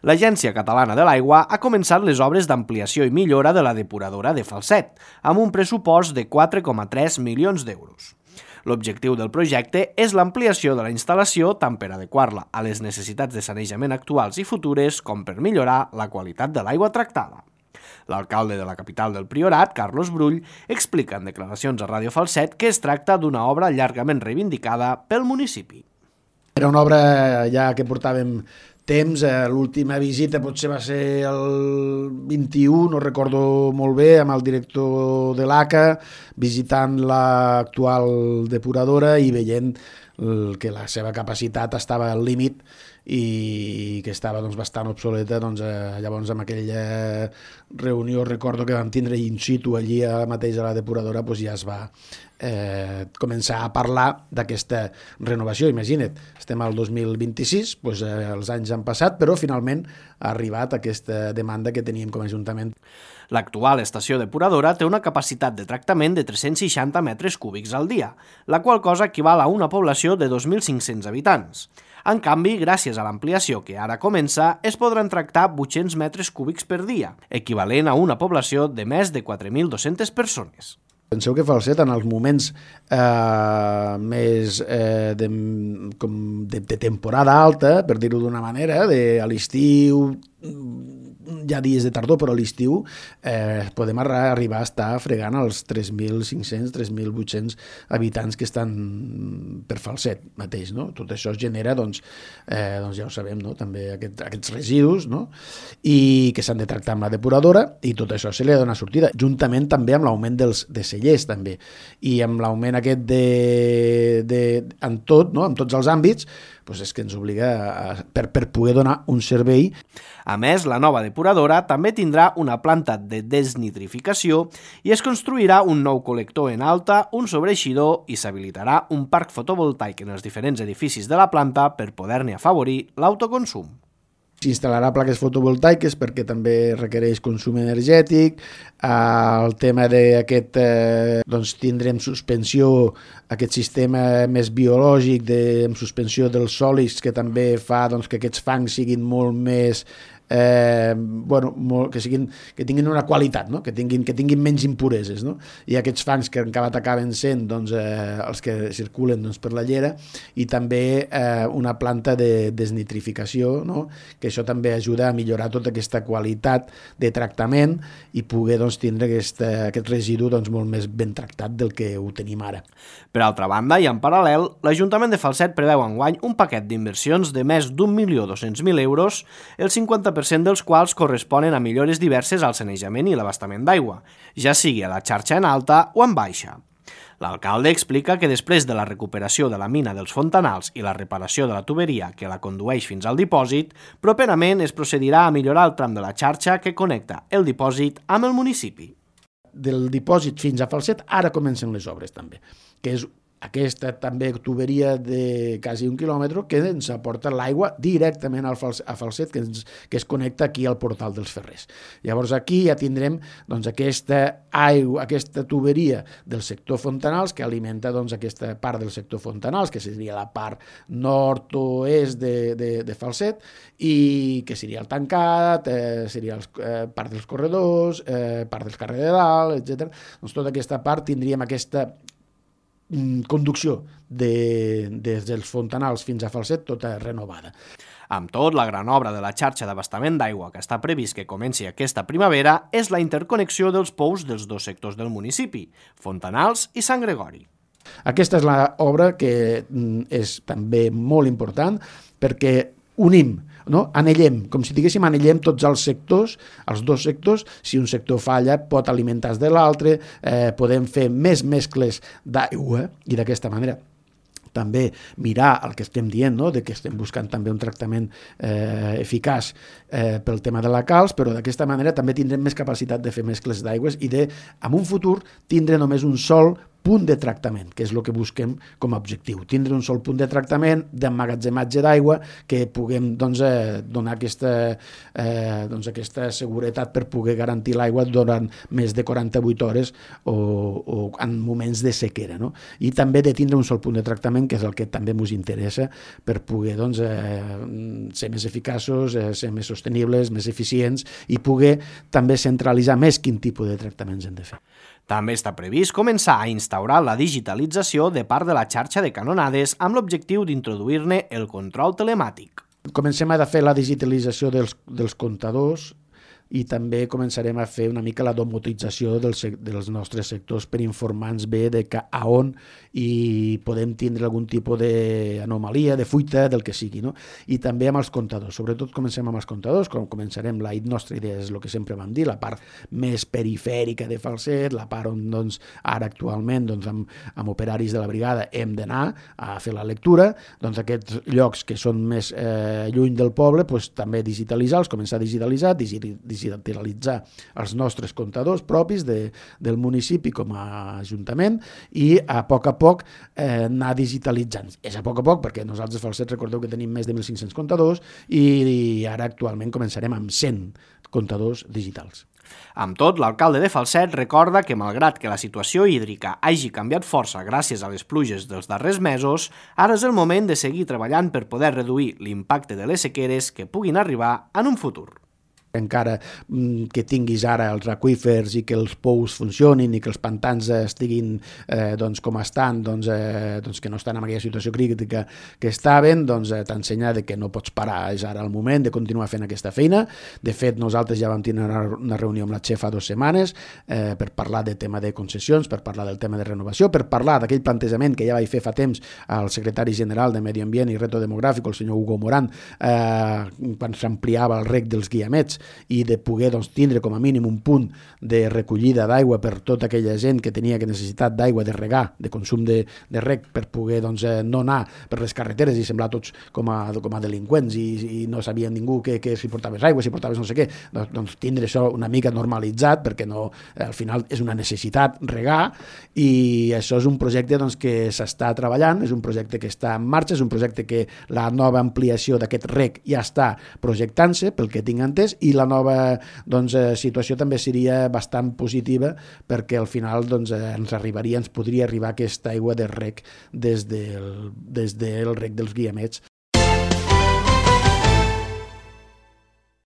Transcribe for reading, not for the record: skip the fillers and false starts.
L'Agència Catalana de l'Aigua ha començat les obres d'ampliació i millora de la depuradora de Falset, amb un pressupost de 4,3 milions d'euros. L'objectiu del projecte és l'ampliació de la instal·lació tant per adequar-la a les necessitats de sanejament actuals i futures com per millorar la qualitat de l'aigua tractada. L'alcalde de la capital del Priorat, Carlos Brull, explica en declaracions a Ràdio Falset que es tracta d'una obra llargament reivindicada pel municipi. Era una obra ja que portàvem temps, l'última visita potser va ser el 21, no recordo molt bé, amb el director de l'ACA, visitant l'actual depuradora i veient que la seva capacitat estava al límit i que estava bastant obsoleta. Llavors amb aquella reunió recordo que vam tindre in situ allí mateix a la depuradora, ja es va començar a parlar d'aquesta renovació. Imagina't, estem al 2026, els anys han passat, però finalment ha arribat aquesta demanda que teníem com a Ajuntament. L'actual estació depuradora té una capacitat de tractament de 360 metres cúbics al dia, la qual cosa equival a una població de 2.500 habitants. En canvi, gràcies a l'ampliació que ara comença, es podran tractar 800 metres cúbics per dia, equivalent a una població de més de 4.200 persones. Penseu que Falset, en els moments més de temporada alta, per dir-ho d'una manera, a l'estiu, hi ha dies de tardor, però a l'estiu podem arribar a estar fregant els 3.500, 3.800 habitants que estan per Falset mateix. No? Tot això es genera, ja ho sabem, no? També aquests residus, no? I que s'han de tractar amb la depuradora, i tot això se li ha de donar sortida, juntament també amb l'augment de cellers, també. I amb l'augment aquest en tot, no? En tots els àmbits, és que ens obliga per poder donar un servei. A més, la nova depuradora també tindrà una planta de desnitrificació i es construirà un nou col·lector en alta, un sobreeixidor i s'habilitarà un parc fotovoltaic en els diferents edificis de la planta per poder-ne afavorir l'autoconsum. S'instal·larà plaques fotovoltaiques perquè també requereix consum energètic. El tema d'aquest, tindrem suspensió, aquest sistema més biològic amb suspensió dels sòlids que també fa que aquests fangs siguin molt més que tinguin una qualitat, no? que tinguin menys impureses, no? I aquests fangs que encara acaben sent els que circulen per la llera, i també una planta de desnitrificació, no? Que això també ajuda a millorar tota aquesta qualitat de tractament i poder tindre aquest residu molt més ben tractat del que ho tenim ara. Per altra banda, i en paral·lel, l'Ajuntament de Falset preveu enguany un paquet d'inversions de més d'1.200.000 euros, el 50% dels quals corresponen a millores diverses al sanejament i l'abastament d'aigua, ja sigui a la xarxa en alta o en baixa. L'alcalde explica que després de la recuperació de la mina dels Fontanals i la reparació de la tuberia que la condueix fins al dipòsit, properament es procedirà a millorar el tram de la xarxa que connecta el dipòsit amb el municipi. Del dipòsit fins a Falset ara comencen les obres també, que és aquesta també tuberia de quasi 1 quilòmetre que ens aporta l'aigua directament a Falset, que es connecta aquí al portal dels Ferrers. Llavors aquí ja tindrem aquesta tuberia del sector Fontanals que alimenta aquesta part del sector Fontanals, que seria la part nord-oest de Falset, i que seria el tancat, seria part dels corredors, part del carrer de dalt, etc. Tota aquesta part tindríem aquesta conducció des dels Fontanals fins a Falset tota renovada. Amb tot, la gran obra de la xarxa d'abastament d'aigua que està previst que comenci aquesta primavera és la interconnexió dels pous dels dos sectors del municipi, Fontanals i Sant Gregori. Aquesta és l'obra que és també molt important perquè unim, no? Anellem, com si diguéssim anellem tots els sectors, els dos sectors. Si un sector falla pot alimentar-se de l'altre, podem fer més mescles d'aigua i d'aquesta manera també mirar el que estem dient, no? De que estem buscant també un tractament eficaç pel tema de la calç, però d'aquesta manera també tindrem més capacitat de fer mescles d'aigües i en un futur tindre només un sol punt de tractament, que és el que busquem com a objectiu. Tindre un sol punt de tractament, d'emmagatzematge d'aigua, que puguem donar aquesta seguretat per poder garantir l'aigua durant més de 48 hores o en moments de sequera. No? I també de tindre un sol punt de tractament, que és el que també ens interessa per poder ser més eficaços, ser més sostenibles, més eficients i poder també centralitzar més quin tipus de tractaments hem de fer. També està previst començar a instaurar la digitalització de part de la xarxa de canonades amb l'objectiu d'introduir-ne el control telemàtic. Comencem a fer la digitalització dels comptadors i també començarem a fer una mica la domotització dels nostres sectors per informar-nos bé de a on i podem tindre algun tipus d'anomalia, de fuita, del que sigui. No? I també amb els comptadors. Sobretot comencem amb els comptadors, començarem, la nostra idea és el que sempre vam dir, la part més perifèrica de Falset, la part on ara actualment amb operaris de la brigada hem d'anar a fer la lectura, aquests llocs que són més lluny del poble, també digitalitzar-los, començar a digitalitzar els nostres comptadors propis del municipi com a ajuntament i a poc anar digitalitzant. És a poc perquè nosaltres Falset recordeu que tenim més de 1.500 comptadors i ara actualment començarem amb 100 comptadors digitals. Amb tot, l'alcalde de Falset recorda que malgrat que la situació hídrica hagi canviat força gràcies a les pluges dels darrers mesos, ara és el moment de seguir treballant per poder reduir l'impacte de les sequeres que puguin arribar en un futur. Encara que tinguis ara els aqüífers i que els pous funcionin i que els pantans estiguin com estan, que no estan en aquella situació crítica que estaven, t'ensenya que no pots parar, és ara el moment de continuar fent aquesta feina. De fet, nosaltres ja vam tenir una reunió amb la Che fa 2 setmanes per parlar del tema de concessions, per parlar del tema de renovació, per parlar d'aquell plantejament que ja vaig fer fa temps al secretari general de Medi Ambient i Reto Demogràfic, el senyor Hugo Morán, quan s'ampliava el rec dels guiamets i de poder tindre com a mínim un punt de recollida d'aigua per tota aquella gent que tenia necessitat d'aigua de regar, de consum de rec, per poder no anar per les carreteres i semblar tots com a delinqüents i no sabia ningú que si portaves aigua, si portaves no sé què, tindre això una mica normalitzat perquè al final és una necessitat regar i això és un projecte que s'està treballant, és un projecte que està en marxa, és un projecte que la nova ampliació d'aquest rec ja està projectant-se pel que tinc entès i la nova situació també seria bastant positiva perquè al final ens podria arribar aquesta aigua de rec des del rec dels guiamets